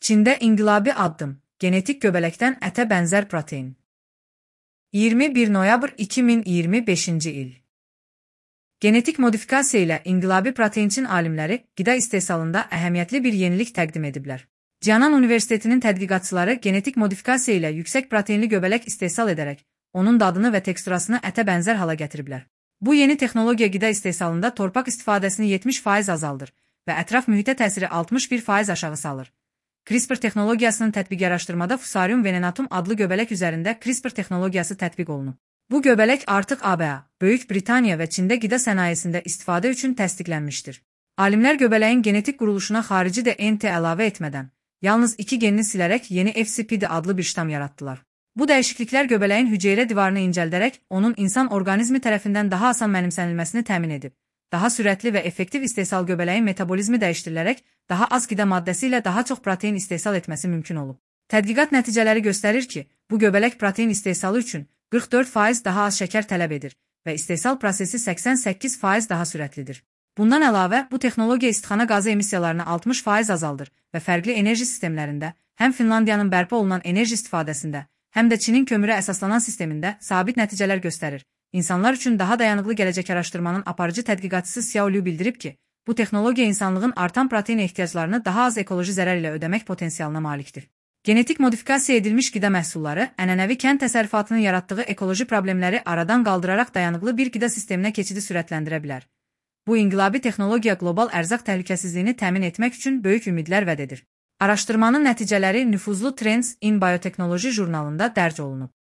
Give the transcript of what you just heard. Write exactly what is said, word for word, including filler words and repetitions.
Çində inqilabi addım, genetik göbələkdən ətə bənzər protein. iyirmi bir noyabr iki min iyirmi beşinci il. Genetik modifikasiya ilə inqilabi proteinçin alimləri qida istehsalında əhəmiyyətli bir yenilik təqdim ediblər. Cianan Universitetinin tədqiqatçıları genetik modifikasiya ilə yüksək proteinli göbələk istehsal edərək, onun dadını və teksturasını ətə bənzər hala gətiriblər. Bu yeni texnologiya qida istehsalında torpaq istifadəsini yetmiş faiz azaldır və ətraf mühitə təsiri altmış bir faiz aşağı salır. CRISPR texnologiyasının tətbiqi araşdırmada Fusarium venenatum adlı göbələk üzərində CRISPR texnologiyası tətbiq olunub. Bu göbələk artıq A B A, Böyük Britaniya və Çində qida sənayesində istifadə üçün təsdiqlənmişdir. Alimlər göbələyin genetik quruluşuna xarici D N T əlavə etmədən, yalnız iki genini silərək yeni F C P D adlı bir ştam yaratdılar. Bu dəyişikliklər göbələyin hüceyrə divarını incəldərək, onun insan orqanizmi tərəfindən daha asan mənimsənilməsini təmin edib. Daha sürətli və effektiv istehsal göbələyin metabolizmi dəyişdirilərək, daha az qida maddəsi ilə daha çox protein istehsal etməsi mümkün olub. Tədqiqat nəticələri göstərir ki, bu göbələk protein istehsalı üçün qırx dörd faiz daha az şəkər tələb edir və istehsal prosesi səksən səkkiz faiz daha sürətlidir. Bundan əlavə, bu texnologiya istixana qazı emissiyalarını altmış faiz azaldır və fərqli enerji sistemlərində, həm Finlandiyanın bərpa olunan enerji istifadəsində, həm də Çinin kömürə əsaslanan sistemində sabit nəticələr göstərir. İnsanlar üçün daha dayanıqlı gələcək araşdırmanın aparıcı tədqiqatçısı Xiao Liu bildirib ki, bu texnologiya insanlığın artan protein ehtiyaclarını daha az ekoloji zərər ilə ödəmək potensialına malikdir. Genetik modifikasiya edilmiş qida məhsulları ənənəvi kənd təsərrüfatının yaratdığı ekoloji problemləri aradan qaldıraraq dayanıqlı bir qida sisteminə keçidi sürətləndirə bilər. Bu inqilabi texnologiya qlobal ərzaq təhlükəsizliyini təmin etmək üçün böyük ümidlər vəd edir. Araşdırmanın nəticələri nüfuzlu Trends in Biotechnology jurnalında dərc olunub.